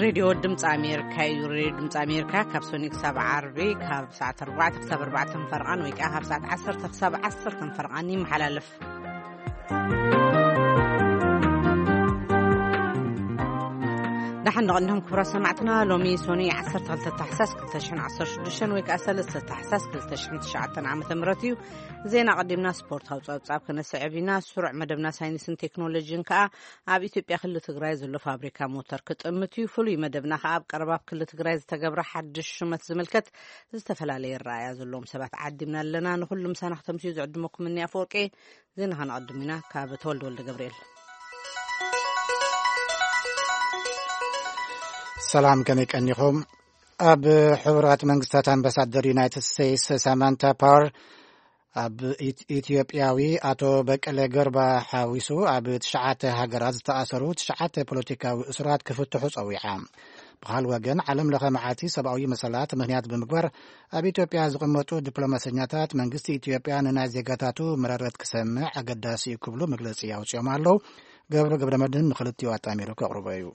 ሬድዮ ድምፂ ኣሜሪካ እዩ። ሬድዮ ድምፂ ኣሜሪካ ካብ ሰኑይ ክሳብ ዓርቢ ካብ ሰዓት ኣርባዕተ ክሳብ ኣርባዕተ ፈርቓን ወይ ከዓ ካብ ሰዓት ዓሰርተ ክሳብ ዓሰርተ ፈርቓን ይመሓላለፍ። ደሓን ንቕድም ክቡራት ሰማዕትና፣ ሎሚ ሶኒ ዓሰርተ ክልተ ታሕሳስ ክልተ ሽሕን ዓሰርተ ሽዱሽተን ወይ ከዓ ሰለስተ ታሕሳስ ክልተ ሽሕን ትሽዓተን ዓመተ ምህረት እዩ። ዜና ቀዲምና ስፖርታዊ ጸብጻብ ክነስዕብ ኢና። ስሩዕ መደብና ሳይንስን ቴክኖሎጂን ከኣ ኣብ ኢትዮጵያ ክልል ትግራይ ዘሎ ፋብሪካ ሞተር ክጥምት እዩ። ፍሉይ መደብና ከኣ ኣብ ቀረባ ኣብ ክልል ትግራይ ዝተገብረ ሓድሽ ሹመት ዝምልከት ዝተፈላለየ ረኣያ ዘለዎም ሰባት ዓዲምና ኣለና። ንኹሉ ምሳና ክተምስዩ ዝዕድመኩም እኒ ኣፈወርቂ። ዜና ከነቐድም ኢና ካብ ተወልደ ወልደ ገብርኤል። ሰላም፣ ከመይ ቀኒኹም? ኣብ ሕቡራት መንግስታት ኣምባሳደር ዩናይትድ ስቴትስ ሳማንታ ፓወር ኣብ ኢት-፣ ኢትዮጵያዊ ኣቶ በቀለ ገርባ ሓዊሱ ኣብ ትሽዓተ ሃገራት ዝተኣሰሩ ትሽዓተ ፖለቲካዊ እሱራት ክፍትሑ ጸዊዓ። ብኻል ወገን፣ ዓለም ለኸ መዓልቲ ሰብኣዊ መሰላት ምኽንያት ብምግባር ኣብ ኢትዮጵያ ዝቕመጡ ዲፕሎማሰኛታት መንግስቲ ኢትዮጵያ ንናይ ዜጋታቱ መረረት ክሰምዕ ኣገዳሲ እዩ ክብሉ መግለጺ ኣውጺኦም ኣለዉ። ገብሩ ገብረ መድህን ንኽልቲኡ ኣጣሚሩ ከቕርቦ እዩ።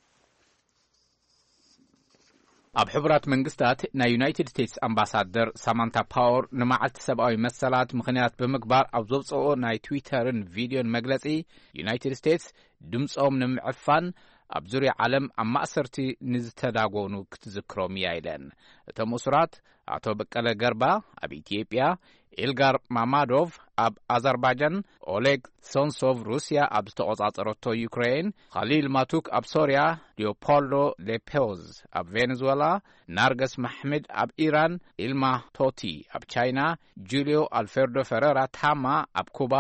ኣብ ሕቡራት መንግስታት ናይ ዩናይትድ ስቴትስ ኣምባሳደር ሳማንታ ፓወር ንመዓልቲ ሰብኣዊ መሰላት ምኽንያት ብምግባር ኣብ ዘውፅኦ ናይ ትዊተርን ቪድዮን መግለፂ፣ ዩናይትድ ስቴትስ ድምፆም ንምዕፋን ኣብ ዙርያ ዓለም ኣብ ማእሰርቲ ንዝተዳጎኑ ክትዝክሮም እያ ኢለን። እቶም እሱራት ኣቶ በቀለ ገርባ ኣብ ኢትዮጵያ፣ ኢልጋር ማማዶቭ ኣብ ኣዘርባጃን፣ ኦሌግ ሶንሶቭ ሩስያ ኣብ ዝተቖጻጸረቶ ዩክሬን፣ ኻሊል ማቱክ ኣብ ሶርያ፣ ሊዮፖልዶ ሌፔዝ ኣብ ቬኔዙዌላ፣ ናርገስ ማሕምድ ኣብ ኢራን፣ ኢልማ ቶቲ ኣብ ቻይና፣ ጁልዮ ኣልፌርዶ ፈረራ ታማ ኣብ ኩባ፣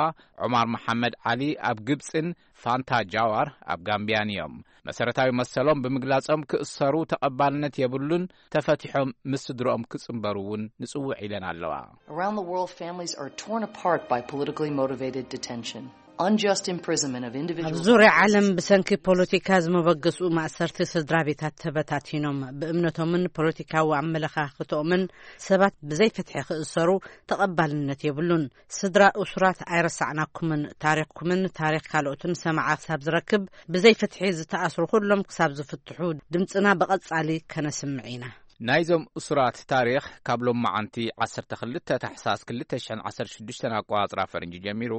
ዑማር መሓመድ ዓሊ ኣብ ግብጽን ፋንታ ጃዋር ኣብ ጋምቢያን እዮም። መሰረታዊ መሰሎም ብምግላጾም ክእሰሩ ተቐባልነት የብሉን፣ ተፈቲሖም ምስ ስድርኦም ክጽንበሩ እውን ንጽውዕ ኢለን ኣለዋ። Around the world, families are torn apart by politically motivated detention, unjust imprisonment of ኣብ individuals. ዙርያ ዓለም ብሰንኪ ፖለቲካ ዝመበገስኡ ማእሰርቲ ስድራ ቤታት ተበታቲኖም፣ ብእምነቶምን ፖለቲካዊ ኣመለኻኽቶምን ሰባት ብዘይ ፍትሒ ክእሰሩ ተቐባልነት የብሉን። ስድራ እሱራት ኣይረሳዕናኩምን፣ ታሪኽኩምን ታሪኽ ካልኦትን ሰማዓ ክሳብ ዝረክብ፣ ብዘይ ፍትሒ ዝተኣስሩ ኩሎም ክሳብ ዝፍትሑ ድምፅና ብቐጻሊ ከነስምዕ ኢና። ናይዞም እሱራት ታሪኽ ካብ ሎማዓንቲ ዓሰርተ ክልተ ታሕሳስ ክልተ ሽሕን ዓሰርተ ሽዱሽተን ኣቆጻጽራ ፈረንጂ ጀሚሩ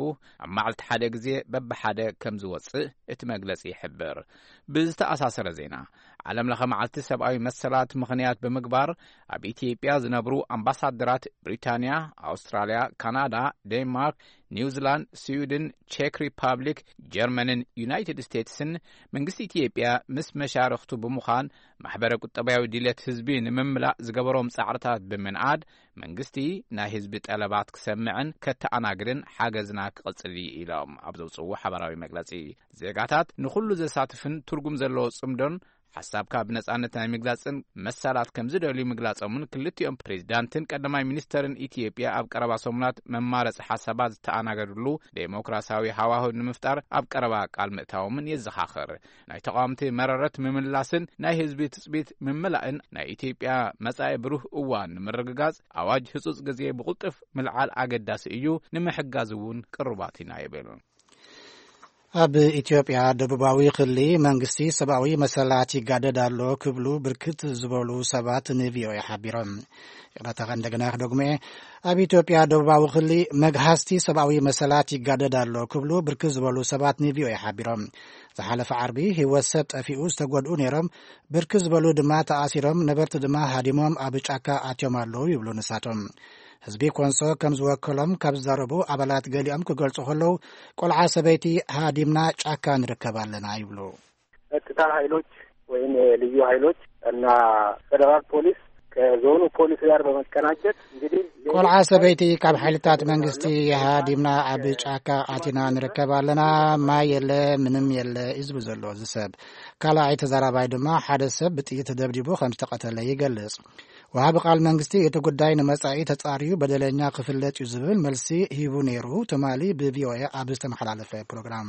ኣብ መዓልቲ ሓደ ግዜ በብሓደ ከም ዝወጽእ እቲ መግለጺ ይሕብር። ብዝተኣሳሰረ ዜና፣ ዓለም ለኸ መዓልቲ ሰብኣዊ መሰላት ምኽንያት ብምግባር ኣብ ኢትዮጵያ ዝነብሩ ኣምባሳደራት ብሪታንያ፣ ኣውስትራልያ፣ ካናዳ፣ ዴንማርክ፣ ኒውዚላንድ፣ ስዊድን፣ ቼክ ሪፓብሊክ፣ ጀርመንን ዩናይትድ ስቴትስን መንግስቲ ኢትዮጵያ ምስ መሻርኽቱ ብምዃን ማሕበረ ቁጠባዊ ድሌት ህዝቢ ንምምላእ ዝገበሮም ጻዕርታት ብምንኣድ መንግስቲ ናይ ህዝቢ ጠለባት ክሰምዕን ከተኣናግድን ሓገዝና ክቕጽል እዩ ኢሎም ኣብ ዘውፅዎ ሓበራዊ መግለጺ። ዜጋታት ንኹሉ ዘሳትፍን ትርጉም ዘለዎ ጽምዶን ሓሳብካ ብነጻነት ናይ ምግላጽን መሰላት ከም ዝደልዩ ምግላጾምን ክልቲኦም ፕሬዚዳንትን ቀዳማይ ሚኒስተርን ኢትዮጵያ ኣብ ቀረባ ሰሙናት መማረጺ ሓሳባት ዝተኣናገድሉ ዴሞክራሲያዊ ሃዋህው ንምፍጣር ኣብ ቀረባ ቃል ምእታዎምን የዘኻኽር። ናይ ተቃወምቲ መረረት ምምላስን ናይ ህዝቢ ትጽቢት ምምላእን ናይ ኢትዮጵያ መጻኢ ብሩህ እዋን ንምርግጋጽ ኣዋጅ ህጹጽ ግዜ ብቕልጡፍ ምልዓል ኣገዳሲ እዩ፣ ንምሕጋዝ እውን ቅሩባት ኢና ይብል። ኣብ ኢትዮጵያ ደቡባዊ ክሊ መንግስቲ ሰብኣዊ መሰላት ይጋደድ ኣሎ ክብሉ ብርክት ዝበሉ ሰባት ንቪኦኤ ሓቢሮም። ይቕረታ፣ እንደገና ክደግሞ እየ። ኣብ ኢትዮጵያ ደቡባዊ ክሊ መግሃስቲ ሰብኣዊ መሰላት ይጋደድ ኣሎ ክብሉ ብርክት ዝበሉ ሰባት ንቪኦኤ ሓቢሮም። ዝሓለፈ ዓርቢ ህይወት ሰብ ጠፊኡ ዝተጎድኡ ነይሮም። ብርክት ዝበሉ ድማ ተኣሲሮም፣ ነበርቲ ድማ ሃዲሞም ኣብ ጫካ ኣትዮም ኣለዉ ይብሉ ንሳቶም። ህዝቢ ኮንሶ ከም ዝወከሎም ካብ ዝዛረቡ ኣባላት ገሊኦም ክገልጹ ከለዉ፣ ቆልዓ ሰበይቲ ሃዲምና ጫካ ንርከብ ኣለና ይብሉ። ጸጥታ ኃይሎች ወይም የልዩ ኃይሎች እና ፌዴራል ፖሊስ ከዞኑ ፖሊስ ጋር በመቀናጀት እንግዲህ ቆልዓ ሰበይቲ ካብ ሓይልታት መንግስቲ ሃዲምና ኣብ ጫካ ኣቲና ንርከብ ኣለና። ማይ የለ፣ ምንም የለ እዩ ዝብል ዘሎ እዚ ሰብ። ካልኣይ ተዛራባይ ድማ ሓደ ሰብ ብጥይት ተደብዲቡ ከም ዝተቐተለ ይገልጽ። ወሃቢ ቃል መንግስቲ እቲ ጉዳይ ንመጻኢ ተጻርዩ በደለኛ ክፍለጥ እዩ ዝብል መልሲ ሂቡ ነይሩ ትማሊ ብቪኦኤ ኣብ ዝተመሓላለፈ ፕሮግራም።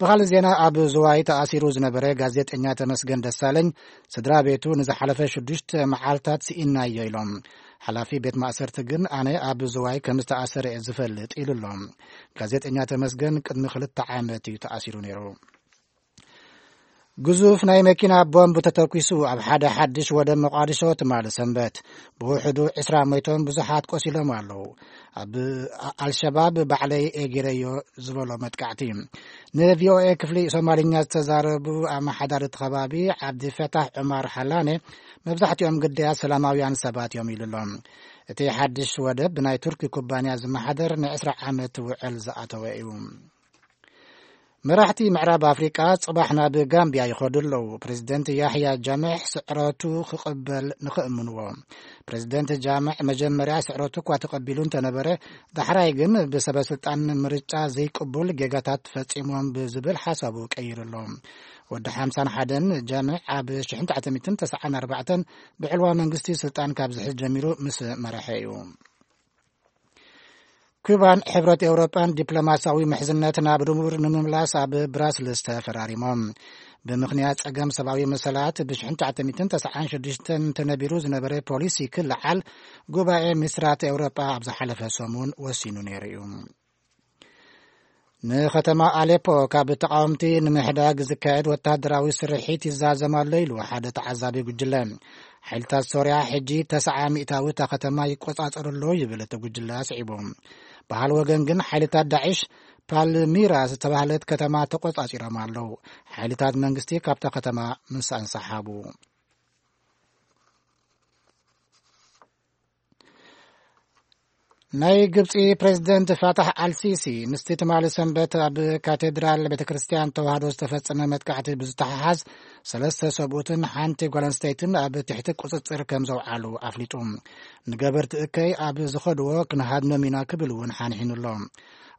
ብኻልእ ዜና፣ ኣብ ዝዋይ ተኣሲሩ ዝነበረ ጋዜጠኛ ተመስገን ደሳለኝ ስድራ ቤቱ ንዝሓለፈ ሽዱሽተ መዓልታት ስኢናዮ ኢሎም። ሓላፊ ቤት ማእሰርቲ ግን ኣነ ኣብ ዝዋይ ከም ዝተኣሰረ እየ ዝፈልጥ ኢሉ ኣሎ። ጋዜጠኛ ተመስገን ቅድሚ ክልተ ዓመት እዩ ተኣሲሩ ነይሩ። ግዙፍ ናይ መኪና ቦምብ ተተኲሱ ኣብ ሓደ ሓድሽ ወደብ መቋዲሾ ትማሊ ሰንበት። ብውሕዱ ዕስራ ሞይቶም ብዙሓት ቆሲሎም ኣለዉ። ኣብ ኣልሸባብ ባዕለይ ኤጊረዮ ዝበሎ መጥቃዕቲ። ንቪኦኤ ክፍሊ ሶማልኛ ዝተዛረቡ ኣመሓዳሪ እቲ ከባቢ ዓብዲ ፈታሕ ዑማር ሓላኔ፣ መብዛሕትኦም ግዳያት ሰላማውያን ሰባት እዮም ኢሉ ኣሎ። እቲ ሓድሽ ወደብ ብናይ ቱርኪ ኩባንያ ዝመሓደር ን20 ዓመት ውዕል ዝኣተወ እዩ። መራሕቲ ምዕራብ ኣፍሪቃ ጽባሕ ናብ ጋምቢያ ይኸዱ ኣለዉ። ፕሬዚደንት ያሕያ ጃምዕ ስዕረቱ ክቕበል ንኽእምንዎ። ፕሬዚደንት ጃምዕ መጀመርያ ስዕረቱ እኳ ተቐቢሉ እንተነበረ፣ ዳሕራይ ግን ብሰበ ስልጣን ምርጫ ዘይቅቡል ጌጋታት ፈጺሞም ብዝብል ሓሳቡ ቀይሩ ኣሎ። ወዲ ሓምሳን ሓደን ጃምዕ ኣብ ሽሕን ትሽዓተ ሚእትን ተስዓን ኣርባዕተን ብዕልዋ መንግስቲ ስልጣን ካብ ዝሕዝ ጀሚሩ ምስ መረሐ እዩ። ኩባን ሕብረት ኤውሮጳን ዲፕሎማሲያዊ ምሕዝነት ናብ ድሙር ንምምላስ ኣብ ብራስልስ ተፈራሪሞም። ብምኽንያት ጸገም ሰብኣዊ መሰላት ብ1996 ተነቢሩ ዝነበረ ፖሊሲ ክለዓል ጉባኤ ሚኒስትራት ኤውሮጳ ኣብ ዝሓለፈ ሰሙን ወሲኑ ነይሩ እዩ። ንኸተማ ኣሌፖ ካብ ተቃወምቲ ንምሕዳግ ዝካየድ ወታደራዊ ስርሒት ይዛዘም ኣሎ ኢሉ ሓደ ተዓዛቢ ጉጅለ። ሓይልታት ሶርያ ሕጂ ተስዓ ሚእታዊ እታ ከተማ ይቆጻጸሩ ኣለዉ ይብል እቲ ጉጅለ ኣስዒቡ። በሃል ወገን ግን ሓይልታት ዳዕሽ ፓልሚራ ዝተባህለት ከተማ ተቆጻጺሮም ኣለዉ። ሓይልታት መንግስቲ ካብታ ከተማ ምስ ኣንሰሓቡ። ናይ ግብጺ ፕሬዝደንት ፋታሕ ኣልሲሲ ምስቲ ትማሊ ሰንበት ኣብ ካቴድራል ቤተ ክርስቲያን ተዋህዶ ዝተፈጸመ መጥቃዕቲ ብዝተሓሓዝ ሰለስተ ሰብኡትን ሓንቲ ጓል ኣንስተይትን ኣብ ትሕቲ ቁጽጽር ከም ዘውዓሉ ኣፍሊጡ። ንገበርቲ እከይ ኣብ ዝኸድዎ ክንሃድኖም ኢና ክብል እውን ሓንሒኑ ኣሎ።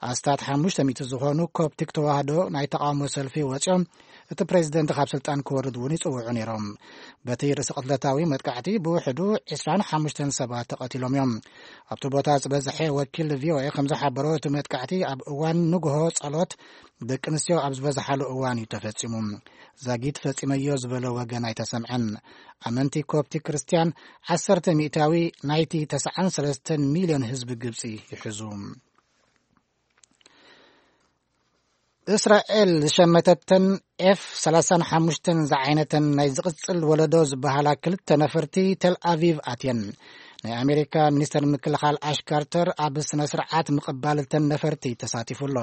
ኣስታት ሓሙሽተ ሚእቲ ዝኾኑ ኮፕቲክ ተዋህዶ ናይ ተቃውሞ ሰልፊ ወጺኦም እቲ ፕሬዝደንት ካብ ስልጣን ክወርድ እውን ይጽውዑ ነይሮም። በቲ ርእሰ ቅትለታዊ መጥቃዕቲ ብውሕዱ ዕስራን ሓሙሽተን ሰባት ተቐቲሎም እዮም። ኣብቲ ቦታ ዝበዝሐ ወኪል ቪኦኤ ከም ዝሓበሮ እቲ መጥቃዕቲ ኣብ እዋን ንግሆ ጸሎት ደቂ ኣንስትዮ ኣብ ዝበዝሓሉ እዋን እዩ ተፈጺሙ። ዛጊት ፈጺመዮ ዝበለ ወገን ኣይተሰምዐን። ኣመንቲ ኮፕቲክ ክርስትያን ዓሰርተ ሚእታዊ ናይቲ ተስዓን ሰለስተን ሚልዮን ህዝቢ ግብጺ ይሕዙ። እስራኤል ዝሸመተተን ኤፍ ሰላሳን ሓሙሽተን ዝዓይነተን ናይ ዝቕጽል ወለዶ ዝበሃላ ክልተ ነፈርቲ ቴል ኣቪቭ ኣትየን። ናይ ኣሜሪካ ሚኒስተር ምክልኻል ኣሽ ካርተር ኣብ ስነ ስርዓት ምቕባል እተን ነፈርቲ ተሳቲፉ ኣሎ።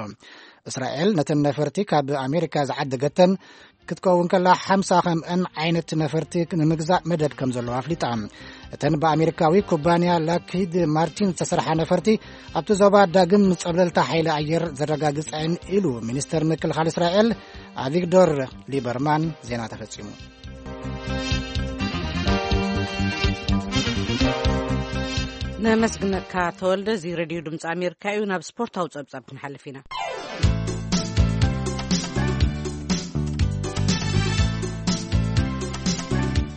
እስራኤል ነተን ነፈርቲ ካብ ኣሜሪካ ዝዓደገተን ክትከውን ከላ ሓምሳ ከምአን ዓይነት ነፈርቲ ንምግዛእ መደብ ከም ዘለዎ ኣፍሊጣ። እተን ብኣሜሪካዊ ኩባንያ ላክሂድ ማርቲን ዝተሰርሓ ነፈርቲ ኣብቲ ዞባ ዳግም ጸብለልታ ሓይሊ ኣየር ዘረጋግጻ እየን ኢሉ ሚኒስተር ምክልኻል እስራኤል ኣቪግዶር ሊበርማን። ዜና ተፈጺሙ። ነመስግነካ ተወልደ። እዚ ሬድዮ ድምፂ ኣሜሪካ እዩ። ናብ ስፖርታዊ ጸብጻብ ክንሓልፍ ኢና።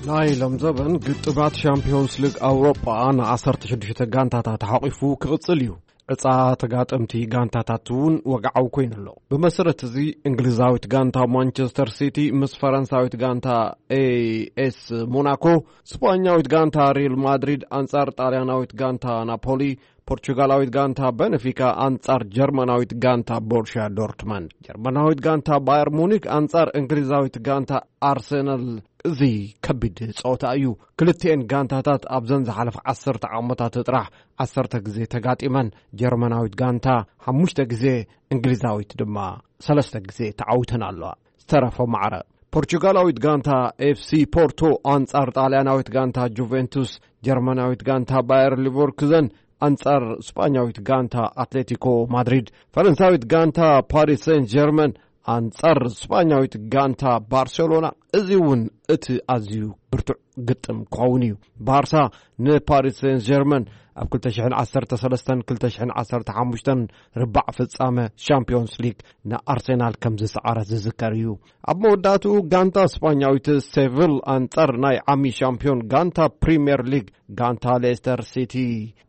ናይ ሎም ዘበን ግጥባት ሻምፒዮንስ ሊግ ኣውሮጳ ን ዓሰርተ ሽዱሽተ ጋንታታት ሓቂፉ ክቕጽል እዩ። ዕጻ ተጋጠምቲ ጋንታታት እውን ወግዓዊ ኮይኑ ኣሎ። ብመሰረት እዚ፣ እንግሊዛዊት ጋንታ ማንቸስተር ሲቲ ምስ ፈረንሳዊት ጋንታ ኤኤስ ሞናኮ፣ ስጳኛዊት ጋንታ ሪል ማድሪድ ኣንጻር ጣልያናዊት ጋንታ ናፖሊ፣ ፖርቹጋላዊት ጋንታ በነፊካ ኣንጻር ጀርመናዊት ጋንታ ቦሩሽያ ዶርትመንድ፣ ጀርመናዊት ጋንታ ባየር ሙኒክ ኣንጻር እንግሊዛዊት ጋንታ ኣርሰናል። እዚ ከቢድ ጸወታ እዩ። ክልቲኤን ጋንታታት ኣብዘን ዝሓለፈ ዓሰርተ ዓመታት ጥራሕ ዓሰርተ ግዜ ተጋጢመን፣ ጀርመናዊት ጋንታ ሓሙሽተ ግዜ፣ እንግሊዛዊት ድማ ሰለስተ ግዜ ተዓዊተን ኣለዋ። ዝተረፎ ማዕረ፣ ፖርቹጋላዊት ጋንታ ኤፍሲ ፖርቶ ኣንጻር ጣልያናዊት ጋንታ ጁቬንቱስ፣ ጀርመናዊት ጋንታ ባየር ሊቨርኩዘን ኣንጻር ስጳኛዊት ጋንታ ኣትሌቲኮ ማድሪድ፣ ፈረንሳዊት ጋንታ ፓሪስ ሴንት ጀርመን ኣንጻር ስጳኛዊት ጋንታ ባርሴሎና። እዚ እውን እቲ ኣዝዩ ብርቱዕ ግጥም ክኸውን እዩ። ባርሳ ንፓሪስ ሴንት ጀርመን ኣብ ክልተ ሽሕን ዓሰርተ ሰለስተን ክልተ ሽሕን ዓሰርተ ሓሙሽተን ርባዕ ፍጻመ ሻምፒዮንስ ሊግ ንኣርሴናል ከም ዝሰዓረ ዝዝከር እዩ። ኣብ መወዳእትኡ፣ ጋንታ ስጳኛዊት ሴቪል ኣንጻር ናይ ዓሚ ሻምፒዮን ጋንታ ፕሪምየር ሊግ ጋንታ ሌስተር ሲቲ።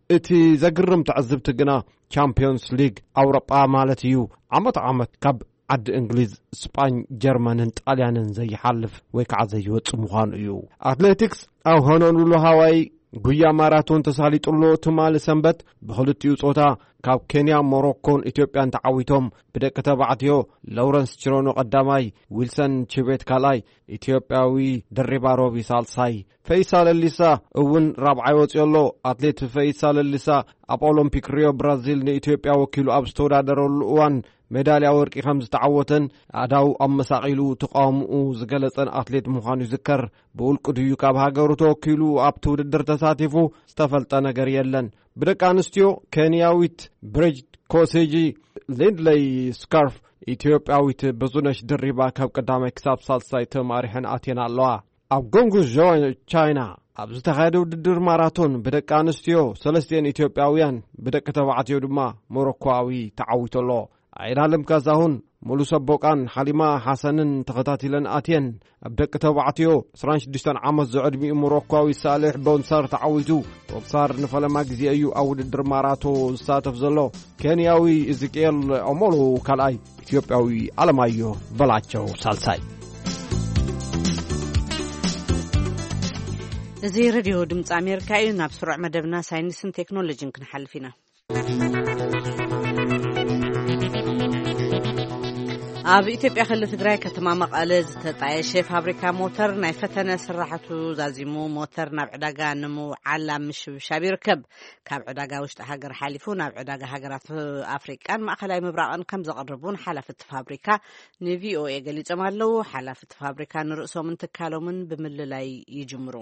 እቲ ዘግርም ትዕዝብቲ ግና፣ ቻምፒዮንስ ሊግ ኣውሮጳ ማለት እዩ፣ ዓመት ዓመት ካብ ዓዲ እንግሊዝ፣ ስጳኝ፣ ጀርመንን ጣልያንን ዘይሓልፍ ወይ ከዓ ዘይወጽእ ምዃኑ እዩ። ኣትሌቲክስ ኣብ ሆኖሉሉ ሃዋይ ጉያ ማራቶን ተሳሊጡ ኣሎ። ትማሊ ሰንበት ብኽልቲኡ ጾታ ካብ ኬንያ፣ ሞሮኮን ኢትዮጵያን ተዓዊቶም ብደቂ ተባዕትዮ ሎረንስ ቺሮኖ ቀዳማይ፣ ዊልሰን ቺቤት ካልኣይ፣ ኢትዮጵያዊ ድሪባ ሮቢ ሳልሳይ፣ ፈይሳ ለሊሳ እውን ራብዓይ ወጺኡ ኣሎ። ኣትሌት ፈይሳ ለሊሳ ኣብ ኦሎምፒክ ሪዮ ብራዚል ንኢትዮጵያ ወኪሉ ኣብ ዝተወዳደረሉ እዋን ሜዳልያ ወርቂ ከም ዝተዓወተን ኣዳው ኣመሳቒሉ ተቃውምኡ ዝገለጸን ኣትሌት ምዃኑ ይዝከር። ብውልቂ ድዩ ካብ ሃገሩ ተወኪሉ ኣብቲ ውድድር ተሳቲፉ ዝተፈልጠ ነገር የለን። ብደቂ ኣንስትዮ ኬንያዊት ብሪጅ ኮሴጂ ሊንድለይ ስካርፍ፣ ኢትዮጵያዊት ብዙነሽ ድሪባ ካብ ቀዳማይ ክሳብ ሳልሳይ ተማሪሐን ኣትየን ኣለዋ። ኣብ ጎንጉ ቻይና ኣብ ዝተኻየደ ውድድር ማራቶን ብደቂ ኣንስትዮ ሰለስቲኤን ኢትዮጵያውያን፣ ብደቂ ተባዕትዮ ድማ ሞሮኮዊ ተዓዊቱ ኣሎ። ኣይናለም ካሳሁን፣ ሙሉ ሰቦቃን ሓሊማ ሓሰንን ተኸታቲለን ኣትየን። ኣብ ደቂ ተባዕትዮ ዕስራን ሽዱሽተን ዓመት ዝዕድሚኡ ሞሮኳዊ ሳሌሕ ቦንሳር ተዓዊቱ። ቦንሳር ንፈለማ ግዜ እዩ ኣብ ውድድር ማራቶ ዝሳተፍ ዘሎ። ኬንያዊ ኢዝቅኤል ኦሞሎ ካልኣይ፣ ኢትዮጵያዊ ኣለማዮ በላቸው ሳልሳይ። እዚ ሬድዮ ድምፂ ኣሜሪካ እዩ። ናብ ስሩዕ መደብና ሳይንስን ቴክኖሎጂን ክንሓልፍ ኢና። ኣብ ኢትዮጵያ ክልል ትግራይ ከተማ መቐለ ዝተጣየሸ ፋብሪካ ሞተር ናይ ፈተነ ስራሕቱ ዛዚሙ። ሞተር ናብ ዕዳጋ ንምውዓል ኣብ ምሽብሻብ ይርከብ። ካብ ዕዳጋ ውሽጢ ሃገር ሓሊፉ ናብ ዕዳጋ ሃገራት ኣፍሪቃን ማእኸላይ ምብራቕን ከም ዘቕርብ እውን ሓላፊ እቲ ፋብሪካ ንቪኦኤ ገሊጾም ኣለዉ። ሓላፊ እቲ ፋብሪካ ንርእሶምን ትካሎምን ብምልላይ ይጅምሩ።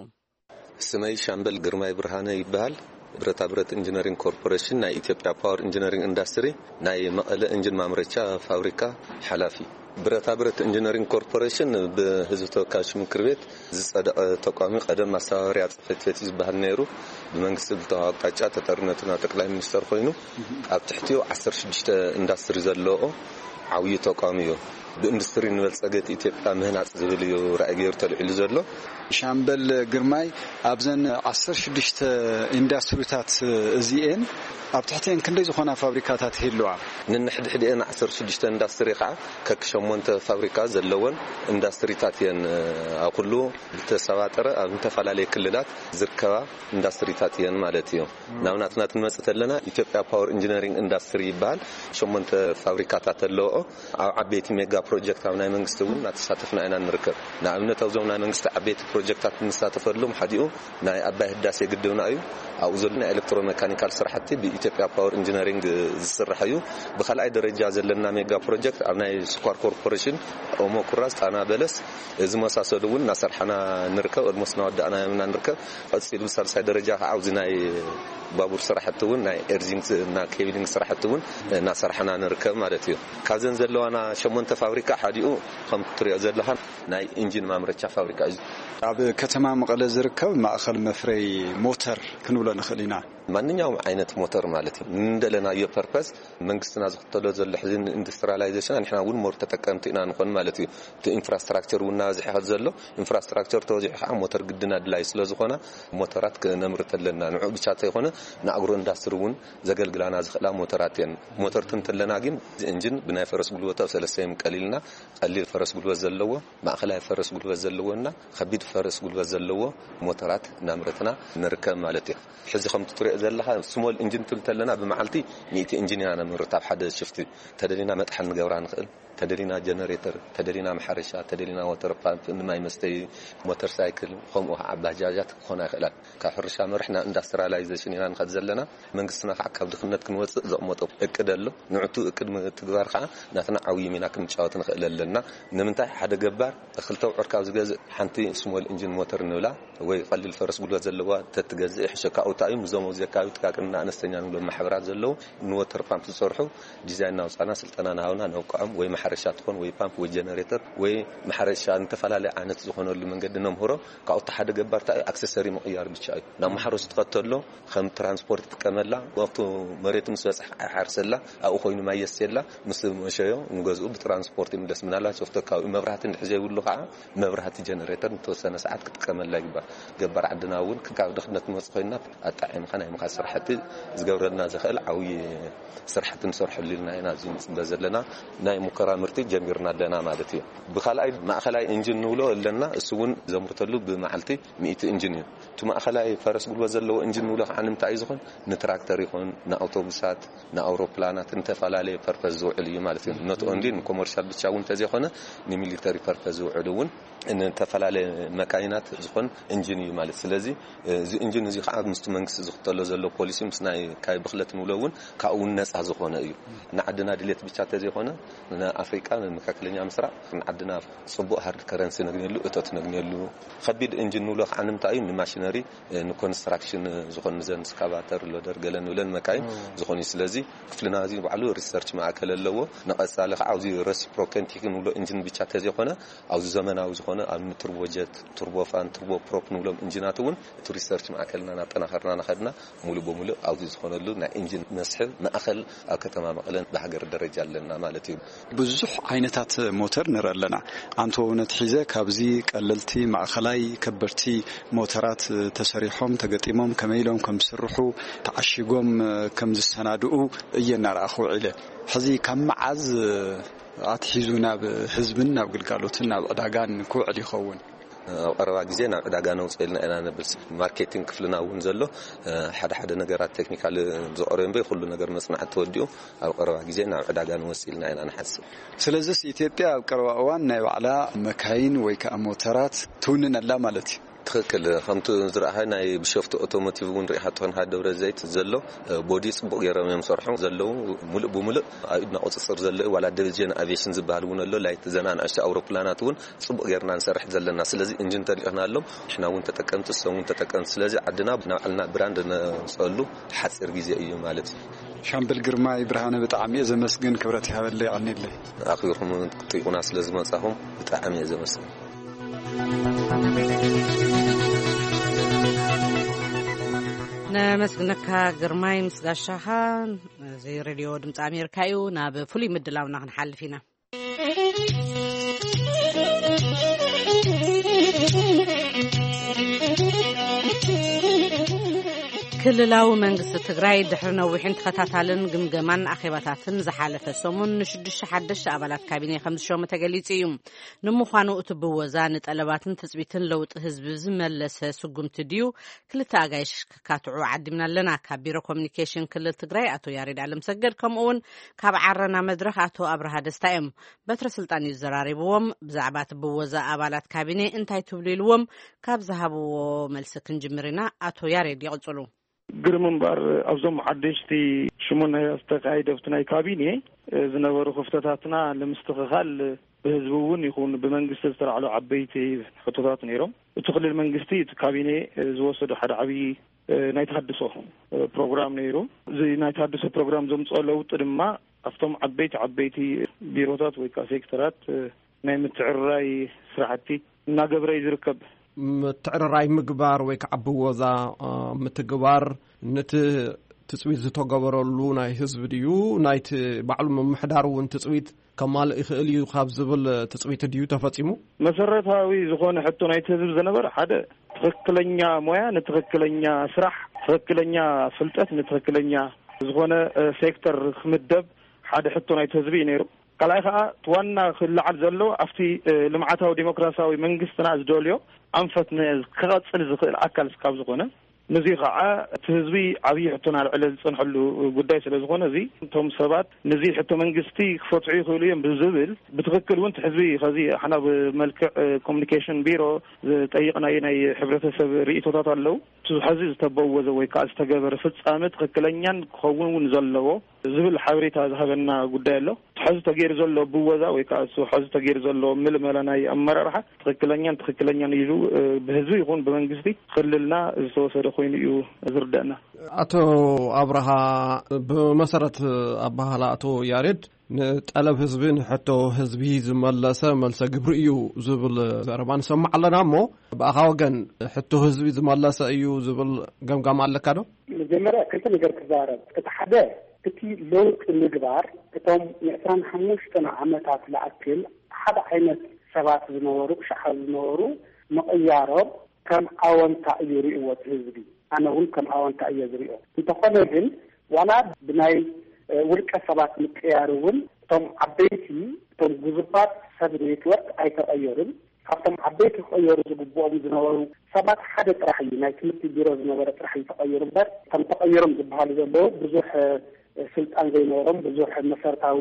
ስመይ ሻምበል ግርማይ ብርሃነ ይበሃል። ብረታ ብረት ኢንጂነሪንግ ኮርፖሬሽን ናይ ኢትዮጵያ ፓወር ኢንጂነሪንግ ኢንዳስትሪ ናይ መቐለ ኢንጂን ማምረቻ ፋብሪካ ሓላፊ። ብረታ ብረት ኢንጂነሪንግ ኮርፖሬሽን ብህዝቢ ተወካዮች ምክር ቤት ዝጸደቐ ተቋም እዩ። ቀደም ማስተባበሪያ ጽሕፈት ቤት እዩ ዝበሃል ነይሩ። ብመንግስቲ ዝተዋሃበ ኣቕጣጫ ተጠሪነቱ ናብ ጠቅላይ ሚኒስተር ኮይኑ፣ ኣብ ትሕቲኡ ዓሰርተ ሽዱሽተ ኢንዳስትሪ ዘለዎ ዓብዪ ተቋም እዩ። ብኢንዱስትሪ ንበልጸገት ኢትዮጵያ ምህናጽ ዝብል እዩ ራእይ ገይሩ ተልዒሉ ዘሎ። ሻምበል ግርማይ፣ ኣብዘን ዓሰርተ ሽዱሽተ ኢንዳስትሪታት እዚኤን፣ ኣብ ትሕቲኤን ክንደይ ዝኾና ፋብሪካታት ይህልዋ? ነንሕድሕድኤን ዓሰርተ ሽዱሽተ ኢንዳስትሪ ከዓ ከክሸሞንተ ፋብሪካ ዘለወን ኢንዳስትሪታት እየን። ኣብ ኩሉ ብተሰባጠረ ኣብ ዝተፈላለየ ክልላት ዝርከባ ኢንዳስትሪታት እየን ማለት እዩ። ናብ ናትና ክንመጽእ ተለና ኢትዮጵያ ፓወር ኢንጂነሪንግ ኢንዳስትሪ ይበሃል። ሸሞንተ ፋብሪካታት ኣለዎ። ኣብ ዓበይቲ ሜጋ ፕሮጀክት ኣብ ናይ መንግስቲ እውን እናተሳተፍና ኢና ንርከብ። ንኣብነት ኣብዞም ናይ መንግስቲ ዓበይቲ ፕሮጀክታት እንሳተፈሎም ሓዲኡ ናይ ኣባይ ህዳሴ ግድብና እዩ። ኣብኡ ዘሎ ናይ ኤሌክትሮሜካኒካል ስራሕቲ ብኢትዮጵያ ፓወር ኢንጂነሪንግ ዝስራሕ እዩ። ብካልኣይ ደረጃ ዘለና ሜጋ ፕሮጀክት ኣብ ናይ ስኳር ኮርፖሬሽን ኦሞ ኩራዝ፣ ጣና በለስ ዝመሳሰሉ እውን እናሰርሓና ንርከብ። ኦልሞስት እናወዳእናዮም ኢና ንርከብ። ቀፂሉ ብሳልሳይ ደረጃ ከዓ ኣብዚ ናይ ባቡር ስራሕቲ እውን ናይ ኤርዚንግ እና ኬብሊንግ ስራሕቲ እውን እናሰርሓና ንርከብ ማለት እዩ። ካብዘን ዘለዋና ሸሞንተ ፋብሪካ ሓዲኡ ከም ትሪኦ ዘለኻ ናይ ኢንጂን ማምረቻ ፋብሪካ እዩ። ኣብ ከተማ መቐለ ዝርከብ ማእኸል መፍረይ ሞተር ክንብሎ ንኽእል ኢና። ማንኛውም ዓይነት ሞተር ማለት እዩ። ንደለናዮ ፐርፐስ መንግስትና ዝኽተሎ ዘሎ ሕዚ ኢንዱስትሪያላይዜሽን ንሕና እውን ሞር ተጠቀምቲ ኢና ንኾን ማለት እዩ። እቲ ኢንፍራስትራክቸር እውን እናበዝሐ ከዚ ዘሎ ኢንፍራስትራክቸር ተበዚሑ ከዓ ሞተር ግድን ኣድላይ ስለ ዝኾነ ሞተራት ክነምርት ኣለና። ንዑ ብቻ ተይኮነ ንኣግሮ ኢንዳስትሪ እውን ዘገልግላና ዝኽእላ ሞተራት እየን። ሞተር ትንተለና ግን ኢንጂን ብናይ ፈረስ ጉልበቱ ኣብ ሰለስተ የምቀል ኢልና ቀሊል ፈረስ ጉልበት ዘለዎ፣ ማእኸላይ ፈረስ ጉልበት ዘለዎና ከቢድ ፈረስ ጉልበት ዘለዎ ሞተራት እናምረትና ንርከብ ማለት እዩ። ሕዚ ከም ትሪኦ ዘለኻ ስሞል ኢንጂን ትብል ተለና ብመዓልቲ ሚእቲ ኢንጂን ኢና ነምርት ኣብ ሓደ ሽፍቲ። ተደሊና መጥሓን ንገብራ ንኽእል፣ ተደሊና ጀነሬተር፣ ተደሊና ማሕረሻ፣ ተደሊና ወተር ፓምፕ ንማይ መስተይ፣ ሞተር ሳይክል፣ ከምኡ ከዓ ባጃጃት ክኾና ይኽእላ። ካብ ሕርሻ መርሕ ናብ ኢንዳስትሪያላይዜሽን ኢና ንኸድ ዘለና። መንግስትና ከዓ ካብ ድኽነት ክንወፅእ ዘቕመጦ እቅድ ኣሎ። ንዕቱ እቅድ ምትግባር ከዓ ናትና ዓብዪ ሚና ክንጫወት ንኽእል ኣለና። ንምንታይ ሓደ ገባር እኽሊ ተብዕር ካብ ዝገዝእ ሓንቲ ስሞል ኢንጂን ሞተር ንብላ ወይ ቀሊል ፈረስ ጉልበት ዘለዋ ተትገዝእ ይሕሸካ። ኣብኡ እንታይ እዩ፣ ምስዞም ኣብዚ ኣካባቢ ጥቃቅንና ኣነስተኛ ንብሎም ማሕበራት ዘለዉ ንወተር ፓምፕ ዝሰርሑ ዲዛይን እናውፃና ስልጠና እናሃብና ነብቅዖም፣ ወይ ማሕረሻ ትኾን ወይ ፓምፕ ወይ ጀነሬተር ወይ ማሕረሻ ንተፈላለየ ዓይነት ዝኾነሉ መንገዲ ነምህሮ። ካብኡ እቲ ሓደ ገባር እንታይ እዩ፣ ኣክሰሰሪ ምቕያር ብቻ እዩ። ናብ ማሕረሱ ትኸተሎ ከም ትራንስፖርት ይጥቀመላ። ወቅቱ መሬቱ ምስ በፅሐ ይሓርሰላ፣ ኣብኡ ኮይኑ ማይ የስየላ፣ ምስ መሸዮ ንገዝኡ ብትራንስፖርት ይምለስ። ምናልባት ሶፍቶ ኣካባቢ መብራህቲ እንድሕር ዘይብሉ ከዓ መብራህቲ ጀነሬተር ንተወሰነ ሰዓት ክጥቀመላ ይግባእ። ገባር ዓድና እውን ካብ ድኽነት ንወፅ ኮይና ኣጣዒምካ ናይ ምኻድ ስራሕቲ ዝገብረልና ዝኽእል ዓብዪ ስራሕቲ ንሰርሐሉ ኢልና ኢና ኣብዚ ንፅበ ዘለና። ናይ ሙከራ ትምህርቲ ጀሚርና ኣለና ማለት እዩ። ብኻልኣይ ማእኸላይ ኢንጂን ንብሎ ኣለና፣ እሱ እውን ዘምርተሉ ብመዓልቲ ሚእቲ ኢንጂን እዩ። እቲ ማእኸላይ ፈረስ ጉልበት ዘለዎ ኢንጂን ንብሎ ከዓ ንምንታይ እዩ ዝኾን? ንትራክተር ይኹን፣ ንኣውቶቡሳት፣ ንኣውሮፕላናት፣ ንተፈላለየ ፐርፐዝ ዝውዕል እዩ ማለት እዩ። ኖት ኦንሊ ንኮመርሻል ብቻ እውን እንተዘይኮነ፣ ንሚሊተሪ ፐርፐዝ ዝውዕል እውን፣ ንተፈላለየ መካይናት ዝኾን ኢንጂን እዩ ማለት። ስለዚ እዚ ኢንጂን እዚ ከዓ ምስቲ መንግስቲ ዝኽተሎ ዘሎ ፖሊሲ፣ ምስ ናይ ካይ ብኽለት ንብሎ እውን ካብኡ እውን ነፃ ዝኾነ እዩ። ንዓድና ድሌት ብቻ እንተዘይኮነ፣ ንኣፍሪቃ፣ ንመካከለኛ ምስራቅ፣ ንዓድና ጽቡቕ ሃርድ ከረንሲ ነግንየሉ፣ እቶት ነግንየሉ። ከቢድ ኢንጂን ንብሎ ከዓ ንምንታይ እዩ? ንማሽነሪ፣ ንኮንስትራክሽን ዝኾን፣ ንዘን ስካቫተር፣ ሎደር፣ ገለ ንብለን መካይን ዝኾን እዩ። ስለዚ ክፍልና እዚ ባዕሉ ሪሰርች ማእከል ኣለዎ። ንቐጻሊ ከዓ ኣብዚ ረሲፕሮኬቲንግ ንብሎ ኢንጂን ብቻ እንተዘይኮነ፣ ኣብዚ ዘመናዊ ዝኾነ፣ ኣብ ቱርቦጀት፣ ቱርቦፋን፣ ቱርቦ ፕሮፕ ንብሎም ኢንጂናት እውን እቲ ሪሰርች ማእከልና እናጠናኸርና እናኸድና፣ ሙሉእ ብሙሉእ ኣብዚ ዝኾነሉ ናይ ኢንጂን መስሕብ ማእከል ኣብ ከተማ መቐለን ብሃገር ደረጃ ኣለና ማለት እዩ። ብዙሕ ዓይነታት ሞተር ንርኢ ኣለና። ኣንተ እውን ኣትሒዘ ካብዚ ቀለልቲ፣ ማእኸላይ፣ ከበድቲ ሞተራት ተሰሪሖም፣ ተገጢሞም፣ ከመይ ኢሎም ከም ዝስርሑ፣ ተዓሺጎም ከም ዝሰናድኡ እየ እናረኣኹ ውዒለ። ሕዚ ካብ መዓዝ ኣትሒዙ ናብ ህዝብን ናብ ግልጋሎትን ናብ ዕዳጋን ክውዕል ይኸውን? ኣብ ቀረባ ግዜ ናብ ዕዳጋ ነውፅኦ ኢልና ኢና ነብል። ማርኬቲንግ ክፍልና እውን ዘሎ፣ ሓደ ሓደ ነገራት ቴክኒካል ዝቐረዩ እምበይ፣ ኩሉ ነገር መፅናዕቲ ተወዲኡ ኣብ ቀረባ ግዜ ናብ ዕዳጋ ንወፅእ ኢልና ኢና ንሓስብ። ስለዚስ ኢትዮጵያ ኣብ ቀረባ እዋን ናይ ባዕላ መካይን ወይ ከዓ ሞተራት ትውንን ኣላ ማለት እዩ? ትኽክል። ከምቲ ዝረኣኻ ናይ ቢሾፍቱ ኦቶሞቲቭ እውን ርኢኻ ትኾን፣ ሃ ደብረ ዘይት ዘሎ ቦዲ ጽቡቕ ገይሮም እዮም ሰርሑ ዘለዉ። ሙሉእ ብሙሉእ ኣብ ኢድና ቁጽጽር ዘሎ እዩ። ዋላ ዲቪዥን ኣቪዬሽን ዝበሃል እውን ኣሎ። ላይት ዘና ንኣሽቱ ኣውሮፕላናት እውን ጽቡቕ ጌርና ንሰርሕ ዘለና። ስለዚ ኢንጂን ተሊእኽናሎም፣ ንሕና እውን ተጠቀምቲ፣ እሶም እውን ተጠቀምቲ። ስለዚ ዓድና ናብ ዓልና ብራንድ ነውፅኣሉ ሓፂር ግዜ እዩ ማለት እዩ። ሻምበል ግርማይ ብርሃነ፣ ብጣዕሚ እየ ዘመስግን። ክብረት ይሃበለይ፣ የቐንየለይ። ኣኽቢርኩም ክትሪኡና ስለ ዝመጻኹም ብጣዕሚ እየ ዘመስግን። ነመስግነካ ግርማይ ምስ ጋሻኻ። እዚ ሬድዮ ድምፂ ኣሜሪካ እዩ። ናብ ፍሉይ ምድላውና ክንሓልፍ ኢና። ክልላዊ መንግስቲ ትግራይ ድሕሪ ነዊሕን ተኸታታልን ግምገማን ኣኼባታትን ዝሓለፈ ሰሙን ንሽዱሽተ ሓደሽተ ኣባላት ካቢኔ ከም ዝሸመ ተገሊጹ እዩ። ንምዃኑ እቲ ብወዛ ንጠለባትን ትጽቢትን ለውጢ ህዝቢ ዝመለሰ ስጉምቲ ድዩ? ክልተ ኣጋይሽ ከካትዑ ዓዲምና ኣለና። ካብ ቢሮ ኮሚኒኬሽን ክልል ትግራይ ኣቶ ያሬድ ኣለምሰገድ፣ ከምኡ እውን ካብ ዓረና መድረኽ ኣቶ ኣብርሃ ደስታ እዮም። በትረ ስልጣን እዩ ዘራሪብዎም። ብዛዕባ እቲ ብወዛ ኣባላት ካቢኔ እንታይ ትብሉ ኢልዎም፣ ካብ ዝሃብዎ መልሲ ክንጅምር ኢና። ኣቶ ያሬድ ይቕጽሉ። ግርም እምበር ኣብዞም ሓደሽቲ ሽሙን ናይ ዝተኻየደ ኣብቲ ናይ ካቢኔ ዝነበሩ ክፍተታትና ንምስትኽኻል ብህዝቢ እውን ይኹን ብመንግስቲ ዝተላዕሉ ዓበይቲ ሕቶታት ነይሮም። እቲ ክልል መንግስቲ እቲ ካቢኔ ዝወሰዶ ሓደ ዓብዪ ናይ ተሃድሶ ፕሮግራም ነይሩ። እዚ ናይ ተሃድሶ ፕሮግራም ዘምፅኦ ለውጢ ድማ ኣብቶም ዓበይቲ ዓበይቲ ቢሮታት ወይ ከዓ ሴክተራት ናይ ምትዕርራይ ስራሕቲ እናገበረ እዩ ዝርከብ። ምትዕርራይ ምግባር ወይ ከዓ ብወዛ ምትግባር፣ ነቲ ትፅቢት ዝተገበረሉ ናይ ህዝቢ ድዩ፣ ናይቲ ባዕሉ ምምሕዳር እውን ትፅቢት ከማልእ ይኽእል እዩ ካብ ዝብል ትፅቢት ድዩ ተፈፂሙ? መሰረታዊ ዝኾነ ሕቶ ናይቲ ህዝቢ ዝነበረ ሓደ ትኽክለኛ ሞያ ንትኽክለኛ ስራሕ፣ ትኽክለኛ ፍልጠት ንትኽክለኛ ዝኾነ ሴክተር ክምደብ ሓደ ሕቶ ናይቲ ህዝቢ እዩ ነይሩ። ካልኣይ ከዓ እቲ ዋና ክለዓል ዘለዎ ኣብቲ ልምዓታዊ ዲሞክራሲያዊ መንግስትና ዝደልዮ ኣንፈት ክቐፅል ዝኽእል ኣካል እስካብ ዝኾነ፣ ንዚ ከዓ እቲ ህዝቢ ዓብዪ ሕቶና ልዕለ ዝፀንሐሉ ጉዳይ ስለ ዝኾነ፣ እዚ እቶም ሰባት ንዚ ሕቶ መንግስቲ ክፈትሑ ይኽእሉ እዮም ብዝብል፣ ብትኽክል እውን እቲ ህዝቢ ከዚ ሓና ብመልክዕ ኮሚኒኬሽን ቢሮ ዝጠይቕናዮ ናይ ሕብረተሰብ ርእቶታት ኣለዉ። እቲ ሕዚ ዝተበወዘ ወይ ከዓ ዝተገበረ ፍፃመ ትኽክለኛን ክኸውን እውን ዘለዎ ዝብል ሓበሬታ ዝሃበና ጉዳይ ኣሎ። እቲ ሕዚ ተገይሩ ዘሎ ብወዛ ወይ ከዓ እሱ ሕዚ ተገይሩ ዘሎ ምልመላ ናይ ኣመራርሓ ትኽክለኛን ትኽክለኛን ኢሉ ብህዝቢ ይኹን ብመንግስቲ ክልልና ዝተወሰደ ኮይኑ እዩ ዝርደአና። ኣቶ ኣብርሃ፣ ብመሰረት ኣባህላ ኣቶ ያሬድ፣ ንጠለብ ህዝቢ ንሕቶ ህዝቢ ዝመለሰ መልሰ ግብሪ እዩ ዝብል ዘረባ ንሰምዕ ኣለና። እሞ ብኣኻ ወገን ሕቶ ህዝቢ ዝመለሰ እዩ ዝብል ገምጋም ኣለካ ዶ? መጀመርያ ክልተ ነገር ክዛረብ። እቲ ሓደ፣ እቲ ለውጢ ምግባር እቶም ንዕስራን ሓሙሽተን ዓመታት ዝኣክል ሓደ ዓይነት ሰባት ዝነበሩ፣ ሸሓ ዝነበሩ ምቕያሮም ከም ኣወንታ እዩ ርእይዎ እቲ ህዝቢ። ኣነ እውን ከም ኣወንታ እየ ዝርእዮ። እንተኾነ ግን ዋላ ብናይ ውልቀ ሰባት ምቅያር እውን እቶም ዓበይቲ እቶም ግዙፋት ሰብ ኔትወርክ ኣይተቐየሩን። ካብቶም ዓበይቲ ክቐየሩ ዝግብኦም ዝነበሩ ሰባት ሓደ ጥራሕ እዩ፣ ናይ ትምህርቲ ቢሮ ዝነበረ ጥራሕ እዩ ተቐይሩ እምበር፣ እቶም ተቐይሮም ዝበሃሉ ዘለዉ ብዙሕ ስልጣን ዘይነበሮም፣ ብዙሕ መሰረታዊ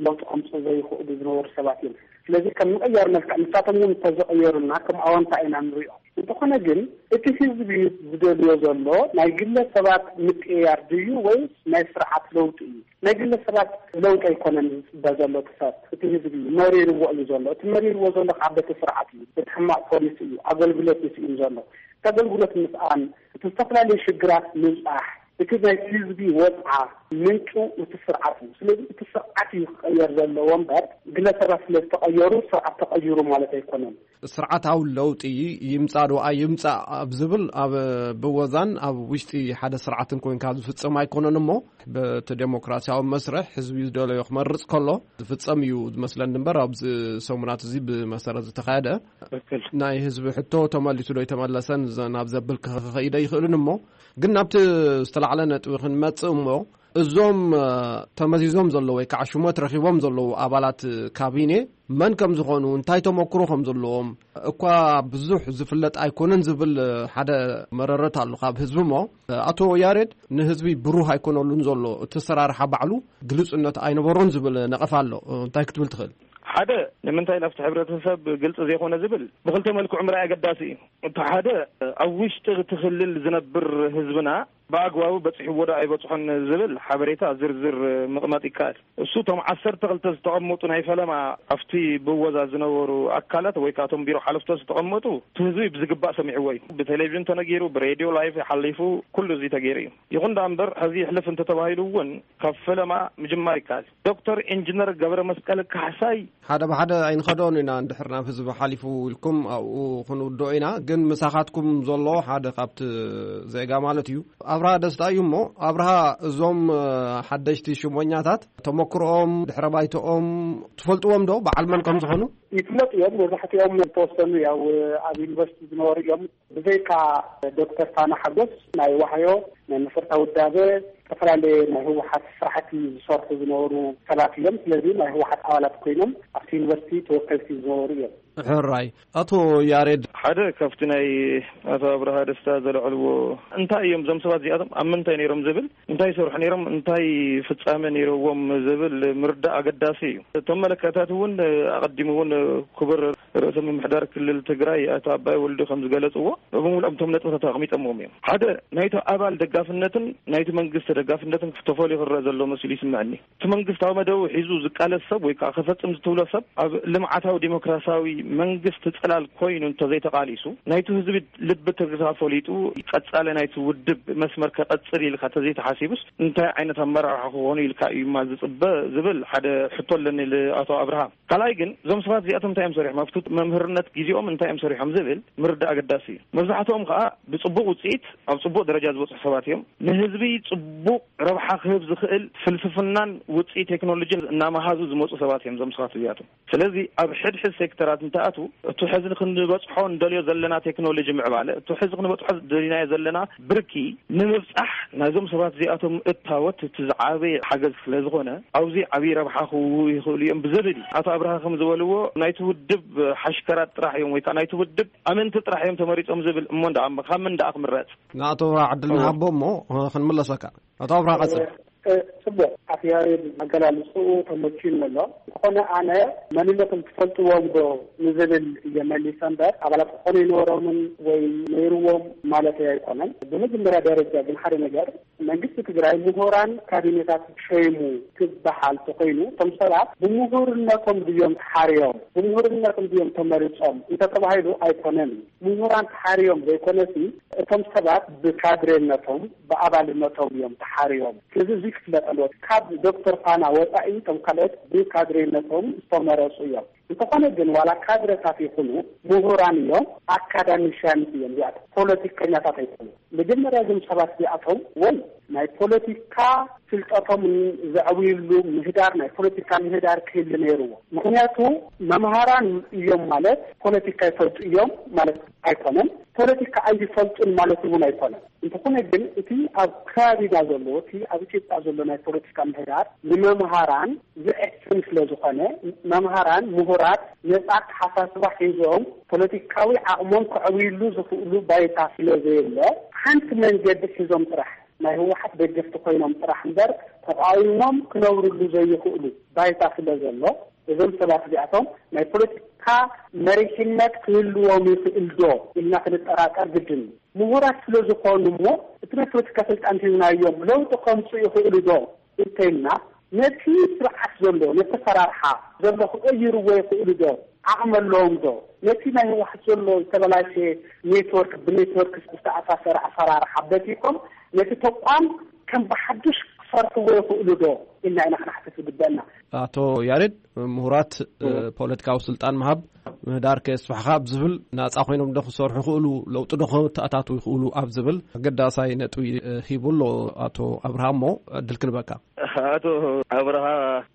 ለውጢ ከምፅኡ ዘይኽእሉ ዝነበሩ ሰባት እዮም። ስለዚ ከም ምቕያር መልክዕ ንሳቶም እውን እንተዘቐየሩና ከም ኣወንታ ኢና ንሪኦ። እንተኾነ ግን እቲ ህዝቢ ዝደልዮ ዘሎ ናይ ግለሰባት ምቅያር ድዩ ወይስ ናይ ስርዓት ለውጢ እዩ? ናይ ግለሰባት ለውጢ ኣይኮነን ዝፅበ ዘሎ እቲ ሰብ፣ እቲ ህዝቢ መሪርዎ እዩ ዘሎ። እቲ መሪርዎ ዘሎ ከዓ በቲ ስርዓት እዩ፣ በቲ ሕማቕ ፖሊሲ እዩ፣ ኣገልግሎት እዩ ስኢኑ ዘሎ። እቲ ኣገልግሎት ምስኣን፣ እቲ ዝተፈላለዩ ሽግራት ምብፃሕ፣ እቲ ናይ ህዝቢ ወፅዓ ምንጩ እቲ ስርዓት እዩ። ስለዚ እቲ ስርዓት እዩ ክቀየር ዘለዎ እምበር ግለሰባት ስለ ዝተቀየሩ ስርዓት ተቀይሩ ማለት ኣይኮነን። ስርዓታዊ ለውጢ ይምጻእ ዶ ኣይምጻእ ኣብ ዝብል ኣብ ብወዛን ኣብ ውሽጢ ሓደ ስርዓትን ኮንካ ዝፍጸም ኣይኮነን እሞ በቲ ዴሞክራሲያዊ መስርሕ ህዝቢ ዝደለዮ ክመርጽ ከሎ ዝፍጸም እዩ ዝመስለኒ እምበር ኣብዚ ሰሙናት እዚ ብመሰረት ዝተኻየደ ትክክል። ናይ ህዝቢ ሕቶ ተመሊሱ ዶ ኣይተመለሰን ዘ- ናብ ዘብል ክኸይደ ይኽእልን እሞ ግን ናብቲ ዝተላዕለ ነጥቢ ክንመጽእ እሞ እዞም እ፣ ተመዚዞም ዘለዉ ወይ ከዓ ሽሞት ረኺቦም ዘለዉ ኣባላት ካቢኔ መን ከም ዝኾኑ እንታይ ተመክሮ ከም ዘለዎም እኳ ብዙሕ ዝፍለጥ ኣይኮነን ዝብል ሓደ መረረት ኣሎ ካብ ህዝቢ እሞ ኣቶ ያሬድ ንህዝቢ ብሩህ ኣይኮነሉን ዘሎ እቲ ኣሰራርሓ ባዕሉ ግልፅነት ኣይነበሮን ዝብል ነቐፍ ኣሎ። እንታይ ክትብል ትኽእል? ሓደ ንምንታይ ናብቲ ሕብረተሰብ ግልፂ ዘይኮነ ዝብል ብክልተ መልክዑ ምርኣይ ኣገዳሲ እዩ። እቲ ሓደ ኣብ ውሽጢ እቲ ክልል ዝነብር ህዝብና ብኣግባቡ በፂሕዎ ዶ ኣይበፅሖን ዝብል ሓበሬታ ዝርዝር ምቕማጥ ይከኣል። እሱ እቶም ዓሰርተ ክልተ ዝተቐመጡ ናይ ፈለማ ኣብቲ ብወዛ ዝነበሩ ኣካላት ወይ ከዓ እቶም ቢሮ ሓለፍቶ ዝተቐመጡ እቲ ህዝቢ ብዝግባእ ሰሚዕዎ እዩ። ብቴሌቪዥን ተነጊሩ፣ ብሬድዮ ላይፍ ሓሊፉ ኩሉ እዚ ተገይሩ እዩ። ይኹን ደኣ እምበር ሕዚ ይሕልፍ እንተተባሂሉ እውን ካብ ፈለማ ምጅማር ይከኣል። ዶክተር ኢንጂነር ገብረ መስቀል ካሕሳይ ሓደ ብሓደ ኣይንኸዶን ኢና። እንድሕር ናብ ህዝቢ ሓሊፉ ኢልኩም ኣብኡ ክንውድኦ ኢና። ግን ምሳኻትኩም ዘሎ ሓደ ካብቲ ዜጋ ማለት እዩ ኣብርሃ ደስታ እዩ። እሞ ኣብርሃ፣ እዞም ሓደሽቲ ሽሞኛታት ተመክሮኦም ድሕረ ባይቶኦም ትፈልጥዎም ዶ በዓል መን ከም ዝኾኑ? ይፍለጡ እዮም። መብዛሕትኦም ዝተወሰኑ ያው ኣብ ዩኒቨርሲቲ ዝነበሩ እዮም። ብዘይካ ዶክተር ፋና ሓጎስ ናይ ዋህዮ ናይ መሰረታዊ ውዳበ ዝተፈላለየ ናይ ህወሓት ስራሕቲ ዝሰርሑ ዝነበሩ ሰባት እዮም። ስለዚ ናይ ህወሓት ኣባላት ኮይኖም ኣብቲ ዩኒቨርሲቲ ተወከልቲ ዝነበሩ እዮም። ሕራይ ኣቶ ያሬድ ሓደ ካብቲ ናይ ኣቶ ኣብርሃ ደስታ ዘለዕልዎ እንታይ እዮም እዞም ሰባት እዚኣቶም ኣብ ምንታይ ነይሮም ዝብል እንታይ ይሰርሑ ነይሮም እንታይ ፍፃመ ነይረዎም ዝብል ምርዳእ ኣገዳሲ እዩ። እቶም መለከታት እውን ኣቐዲሙ እውን ክቡር ርእሰ ምምሕዳር ክልል ትግራይ ኣቶ ኣባይ ወልዱ ከም ዝገለፅዎ ብሙሉኦም እቶም ነጥብታት ኣቕሚጠምዎም እዮም። ሓደ ናይቲ ኣባል ደጋፍነትን ናይቲ መንግስቲ ደጋፍነትን ተፈልዩ ክረአ ዘሎ መሲሉ ይስምዐኒ። እቲ መንግስታዊ መደቡ ሒዙ ዝቃለስ ሰብ ወይ ከዓ ክፈፅም ዝትብሎ ሰብ ኣብ ልምዓታዊ ዲሞክራሲያዊ መንግስቲ ፅላል ኮይኑ እንተዘይተቃሊሱ ናይቲ ህዝቢ ልቢ ትርታ ፈሊጡ ቀፃሊ ናይቲ ውድብ መስመር ከቐፅል ኢልካ ተዘይተሓሲቡስ እንታይ ዓይነት ኣመራርሓ ክኾኑ ኢልካ እዩማ ዝፅበ ዝብል ሓደ ሕቶ ኣለኒ ልኣቶ ኣብርሃ። ካልኣይ ግን እዞም ሰባት እዚኣቶም እንታይ እዮም ሰሪሖም ኣብቲ መምህርነት ግዜኦም እንታይ እዮም ሰሪሖም ዝብል ምርዳእ ኣገዳሲ እዩ። መብዛሕትኦም ከዓ ብፅቡቅ ውፅኢት ኣብ ፅቡቅ ደረጃ ዝበፅሑ ሰባት እዮም። ንህዝቢ ፅቡቅ ረብሓ ክህብ ዝኽእል ፍልስፍናን ውፅኢት ቴክኖሎጂን እናመሃዙ ዝመፁ ሰባት እዮም እዞም ሰባት እዚኣቶም። ስለዚ ኣብ ሕድሕድ ሴክተራት እንተኣትዉ እቲ ሕዚ ክንበፅሖ እንደልዮ ዘለና ቴክኖሎጂ ምዕባለ እቲ ሕዚ ክንበፅሖ ደሊናዮ ዘለና ብርኪ ንምብፃሕ ናይዞም ሰባት እዚኣቶም እታወት እቲ ዝዓበየ ሓገዝ ስለ ዝኾነ ኣብዚ ዓብዪ ረብሓ ክህቡ ይኽእሉ እዮም ብዝብል እዩ። ኣቶ ኣብርሃ ከም ዝበልዎ ናይቲ ውድብ ሓሽከራት ጥራሕ እዮም ወይ ከዓ ናይቲ ውድብ ኣመንቲ ጥራሕ እዮም ተመሪፆም ዝብል እሞ እንዳ ካብ ምን ደኣ ክምረፅ ንኣቶ ኣብርሃ ዕድል ንሃቦ እሞ ክንምለሰካ። ኣቶ ኣብርሃ ቀፅል። ጽቡቅ ኣቶ ያሬድ ኣገላልፅኡ ተመችዩኒ ኣሎ። ዝኾነ ኣነ መንነቶም ትፈልጥዎም ዶ ንዝብል እየ መሊሰ እምበር ኣባላት ክኾኑ ይነበሮምን ወይ ነይርዎም ማለት ኣይኮነን። ብመጀመርያ ደረጃ ግን ሓደ ነገር መንግስቲ ትግራይ ምሁራን ካቢኔታት ሸይሙ ክበሃል ተኮይኑ እቶም ሰባት ብምሁርነቶም ድዮም ተሓርዮም ብምሁርነቶም ድዮም ተመሪፆም እንተተባሂሉ ኣይኮነን። ምሁራን ተሓርዮም ዘይኮነሲ እቶም ሰባት ብካድሬነቶም ብኣባልነቶም እዮም ተሓርዮም። ስለዚ እዚ ክፍለጥ ኣለዎ። ካብ ዶክተር ፋና ወፃኢ እቶም ካልኦት ብካድሬነቶም ዝተመረፁ እዮም። እንተኾነ ግን ዋላ ካድረታት ይኹኑ ምሁራን እዮም፣ ኣካዳሚሽያንስ እዮም። እዚኣቶም ፖለቲከኛታት ኣይኮኑ። መጀመርያ እዞም ሰባት እዚኣቶም ወይ ናይ ፖለቲካ ፍልጠቶም ዘዕብይሉ ምህዳር፣ ናይ ፖለቲካ ምህዳር ክህሉ ነይርዎ። ምክንያቱ መምሃራን እዮም ማለት ፖለቲካ ይፈልጡ እዮም ማለት ኣይኮነን። ፖለቲካ ኣይፈልጡን ማለት እውን ኣይኮነን። እንተኾነ ግን እቲ ኣብ ከባቢና ዘሎ፣ እቲ ኣብ ኢትዮጵያ ዘሎ ናይ ፖለቲካ ምህዳር ንመምሃራን ዝዕፍን ስለ ዝኾነ፣ መምሃራን ምሁራት ነጻ ኣተሓሳስባ ሒዞም ፖለቲካዊ ዓቕሞም ከዕብይሉ ዝኽእሉ ባይታ ስለ ዘየለ፣ ሓንቲ መንገዲ ሒዞም ጥራሕ ናይ ህወሓት ደገፍቲ ኮይኖም ጥራሕ እምበር ተቃዊሞም ክነብርሉ ዘይኽእሉ ባይታ ስለ ዘሎ፣ እዞም ሰባት እዚኣቶም ናይ ፖለቲካ መሪሕነት ክህልዎም ይኽእል ዶ ኢልና ክንጠራጠር ግድን እዩ። ምሁራት ስለ ዝኾኑ እሞ እቲ ናይ ፖለቲካ ስልጣን ሂብናዮም ለውጢ ከምፁ ይኽእሉ ዶ እንተይልና፣ ነቲ ስርዓት ዘሎ፣ ነቲ ፈራርሓ ዘሎ ክቕይርዎ ይኽእሉ ዶ? ዓቕሚ ኣለዎም ዶ? ነቲ ናይ ህወሓት ዘሎ ዝተበላሸ ኔትወርክ፣ ብኔትወርክ ዝተኣሳሰረ ኣፈራርሓ በቲኾም ነቲ ተቋም ከም ብሓዱሽ ክሰርሕዎ ይኽእሉ ዶ ኢልና ኢና ክንሓትት ዝግበአና። ኣቶ ያሬድ፣ ምሁራት እ፣ ፖለቲካዊ ስልጣን ምሃብ ምህዳር ከየስፋሕኻ ኣብ ዝብል ናጻ ኮይኖም ዶ ክሰርሑ ይኽእሉ፣ ለውጢ ዶ ከተኣታትዉ ይኽእሉ ኣብ ዝብል ኣገዳሳይ ነጥቢ እ፣ ሂቡ ኣሎ ኣቶ ኣብርሃ። እሞ ዕድል ክንበካ። ኣቶ ኣብርሃ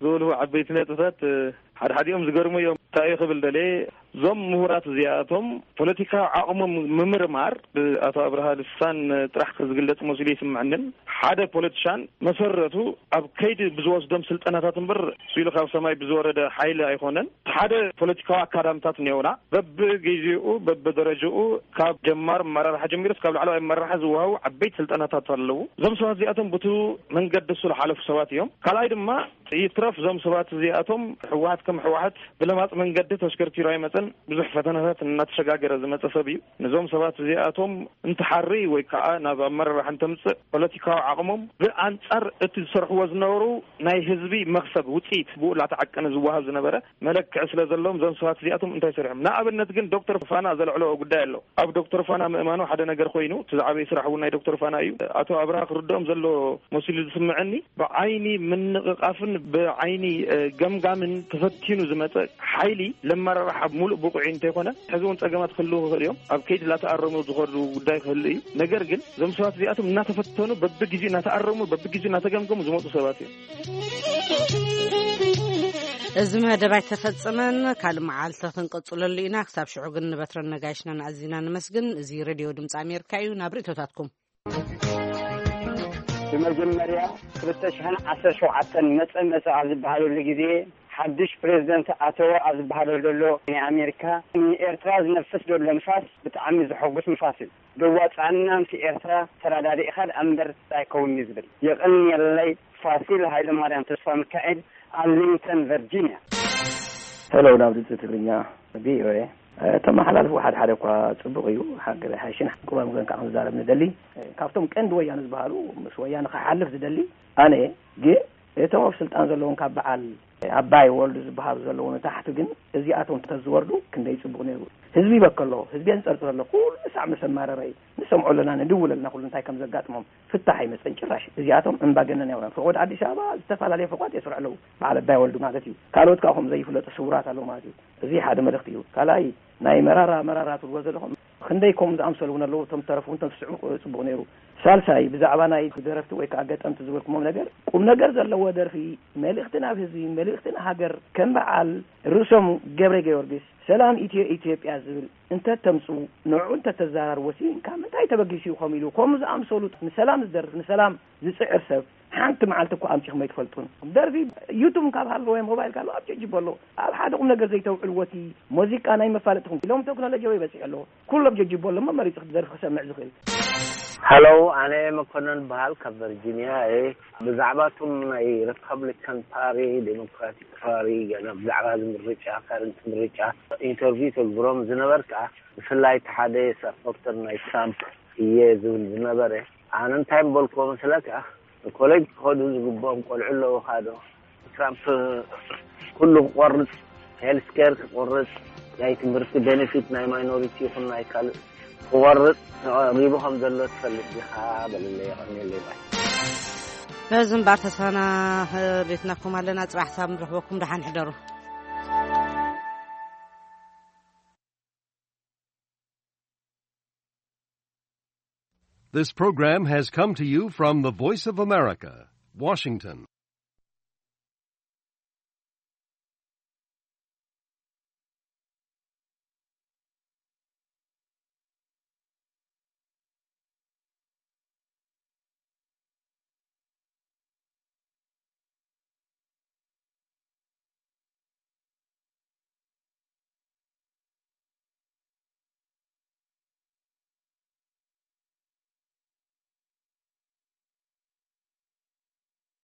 ዝበልዎ ዓበይቲ ነጥብታት እ፣ ሓድሓዲኦም ዝገርሙ እዮም። እንታይ እዩ ክብል ደልየ፣ እዞም ምሁራት እዚኣቶም ፖለቲካዊ ዓቕሞም ምምርማር ብኣቶ ኣብርሃ ልሳን ጥራሕ ዝግለጽ መሲሉ ይስምዐንን፣ ሓደ ፖለቲሻን መሰረቱ ኣብ ከይዲ ብዝወስዶም ስልጠናታት እምበር፣ ስኢሉ ካብ ሰማይ ብዝወረደ ሓይሊ ኣይኮነን። ሓደ ፖለቲካዊ ኣካዳምታት እኒኦና፣ በብግዜኡ በብደረጃኡ ካብ ጀማር ኣመራርሓ ጀሚሩ እስካብ ላዕለዋይ ኣመራርሓ ዝወሃቡ ዓበይቲ ስልጠናታት ኣለዉ። እዞም ሰባት እዚኣቶም ብቱ መንገዲ እሱ ዝሓለፉ ሰባት እዮም። ካልኣይ ድማ ይትረፍ እዞም ሰባት እዚኣቶም ህወሓት ከም ህወሓት ብለማፅ መንገዲ ተሽከርኪሩ ኣይመፀን። ብዙሕ ፈተናታት እናተሸጋገረ ዝመፀ ሰብ እዩ። ነዞም ሰባት እዚኣቶም እንትሓሪ ወይ ከዓ ናብ ኣመራርሓ እንተምፅእ ፖለቲካዊ ዓቕሞም ብኣንፃር እቲ ዝሰርሕዎ ዝነበሩ ናይ ህዝቢ መኽሰብ ውፅኢት ብኡ እናተዓቀነ ዝወሃብ ዝነበረ መለክዒ ስለ ዘለዎም እዞም ሰባት እዚኣቶም እንታይ ሰሪሖም? ንኣብነት ግን ዶክተር ፋና ዘልዕለዎ ጉዳይ ኣሎ። ኣብ ዶክተር ፋና ምእማኑ ሓደ ነገር ኮይኑ እቲ ዝዓበየ ስራሕ እውን ናይ ዶክተር ፋና እዩ። ኣቶ ኣብርሃ ክርድኦም ዘለዎ መሲሉ ዝስምዐኒ፣ ብዓይኒ ምንቕቓፍን ብዓይኒ እ፣ ገምጋምን ተፈቲኑ ዝመፀ ሓይሊ ለመራርሓ ሙሉእ ብቑዕ እንተይኮነ ሕዚ እውን ፀገማት ክህልዉ ክኽእል እዮም። ኣብ ከይዲ ላተኣረሙ ዝኸዱ ጉዳይ ክህሉ እዩ። ነገር ግን እዞም ሰባት እዚኣቶም እናተፈተኑ በብግዜኡ እናተኣረሙ በብግዜኡ እናተገምገሙ ዝመፁ ሰባት እዮም። እዚ መደብ ኣይተፈጸመን፣ ካልእ መዓልቲ ክንቀጽለሉ ኢና። ክሳብ ሽዑ ግን ንበትረን ነጋይሽና ንኣዚና ንመስግን። እዚ ሬድዮ ድምፂ ኣሜሪካ እዩ። ናብ ርእቶታትኩም። ብመጀመርያ ክልተ ሽሕን ዓሰርተ ሸውዓተን መጸ መጸ ኣብ ዝበሃለሉ ግዜ ሓድሽ ፕሬዝደንት ኣተወ ኣብ ዝበሃለሉ ዘሎ ናይ ኣሜሪካ ንኤርትራ ዝነፍስ ዘሎ ንፋስ ብጣዕሚ ዘሐጉስ ንፋስ እዩ። ደዋጻና ምስ ኤርትራ ተራዳዲእኻ ደኣ እምበር ኣይከውን እዩ ዝብል። የቐንየለይ። ፋሲል ሃይለማርያም ተስፋ ሚካኤል፣ ኣርሊንግተን ቨርጂንያ። ሄሎ፣ ናብ ድምፂ ትግርኛ ቪኦኤ። እ፣ ተመሓላልፍዎ ሓደ ሓደ እኳ ፅቡቕ እዩ። ሓቂ ሓይሽን ሓቂ ባምገን ከዓ ክንዛረብ ንደሊ። እ፣ ካብቶም ቀንዲ ወያነ ዝበሃሉ፣ ምስ ወያነ ክሓልፍ ዝደሊ ኣነ፣ ግን እቶም ኣብ ስልጣን ዘለውን ካብ በዓል ኣባይ ወልዱ ዝበሃሉ ዘለዉ ንታሕቲ ግን እዚኣቶም ተዝወርዱ ክንደይ ጽቡቕ ነይሩ። ህዝቢ ይበከሎ፣ ህዝቢ የንጸርጽረሎ፣ ኩሉ ሳዕ ምስ ኣማረረ እዩ። ንሰምዖ ኣለና፣ ንድውል ኣለና፣ ኩሉ እንታይ ከም ዘጋጥሞም ፍታሕ ኣይመጸን ጭራሽ። እዚኣቶም እምባገነናውያን፣ ፈቖድ ኣዲስ ኣበባ ዝተፈላለየ ፈቋት የስርሑ ኣለዉ፣ በዓል ኣባይ ወልዱ ማለት እዩ። ካልኦት ከዓ ከምኡ ዘይፍለጡ ስውራት ኣለዉ ማለት እዩ። እዚ ሓደ መልእኽቲ እዩ። ካልኣይ ናይ መራራ መራራ ትብልዎ ዘለኹም ክንደይ ከምኡ ዝኣምሰሉ እውን ኣለዉ፣ እቶም ተረፉ እውን ተዝስዕቡ ጽቡቕ ነይሩ። ሳልሳይ ብዛዕባ ናይ ደረፍቲ ወይ ከዓ ገጠምቲ ዝበልኩሞም ነገር ቁም ነገር ዘለዎ ደርፊ፣ መልእኽቲ ናብ ህዝቢ፣ መልእኽቲ ንሃገር፣ ከም በዓል ርእሶም ገብረ ጊዮርጊስ ሰላም ኢትዮ ኢትዮጵያ ዝብል እንተተምፅኡ፣ ንዕኡ እንተተዘራርቦ ሲ ካብ ምንታይ ተበጊሱ እዩ ከምኡ ኢሉ ከምኡ ዝኣምሰሉ ንሰላም ዝደርፍ ንሰላም ዝፅዕር ሰብ ሓንቲ መዓልቲ እኮ ኣምጺኹም ኣይትፈልጡን። ደርፊ ዩቱብ ካብ ሃለወ ሞባይል ካብ ኣብ ጀጅቦ ኣሎ። ኣብ ሓደ ቁም ነገር ዘይተውዕልዎ እቲ ሙዚቃ ናይ መፋለጥኹም ኢሎም ቴክኖሎጂ ወይ በፂሑ ኣሎ። ኩሎም ጀጅቦ ኣሎ እሞ መሪፁ ክደርፊ ክሰምዕ ዝኽእል። ሃሎ፣ ኣነ መኮነን በሃል ካብ ቨርጂኒያ እየ። ብዛዕባ እቶም ናይ ሪፐብሊካን ፓሪ፣ ዴሞክራቲክ ፓሪ፣ ገና ብዛዕባ እዚ ምርጫ፣ ካረንት ምርጫ ኢንተርቪው ተግብሮም ዝነበርካ፣ ብፍላይ እቲ ሓደ ሰፖርተር ናይ ትራምፕ እየ ዝብል ዝነበረ፣ ኣነ እንታይ ምበልክዎ መስለካ? ኮሌጅ ክኸዱ ዝግብኦም ቆልዑ ኣለዉኻ ዶ? ትራምፕ ኩሉ ክቆርጽ፣ ሄልስኬር ክቆርጽ፣ ናይ ትምህርቲ ቤኔፊት ናይ ማይኖሪቲ ይኹን ናይ ካልእ ክቆርጽ ተቐሪቡ ከም ዘሎ ትፈልጥ ዲኻ? በልለይ፣ የቐንየለይ ባይ። በዚ እምበር ተስፋና ቤትናኩም ኣለና። ጽባሕ ሳብ ንረኽበኩም። ደሓን ሕደሩ። This program has come to you from the Voice of America, Washington.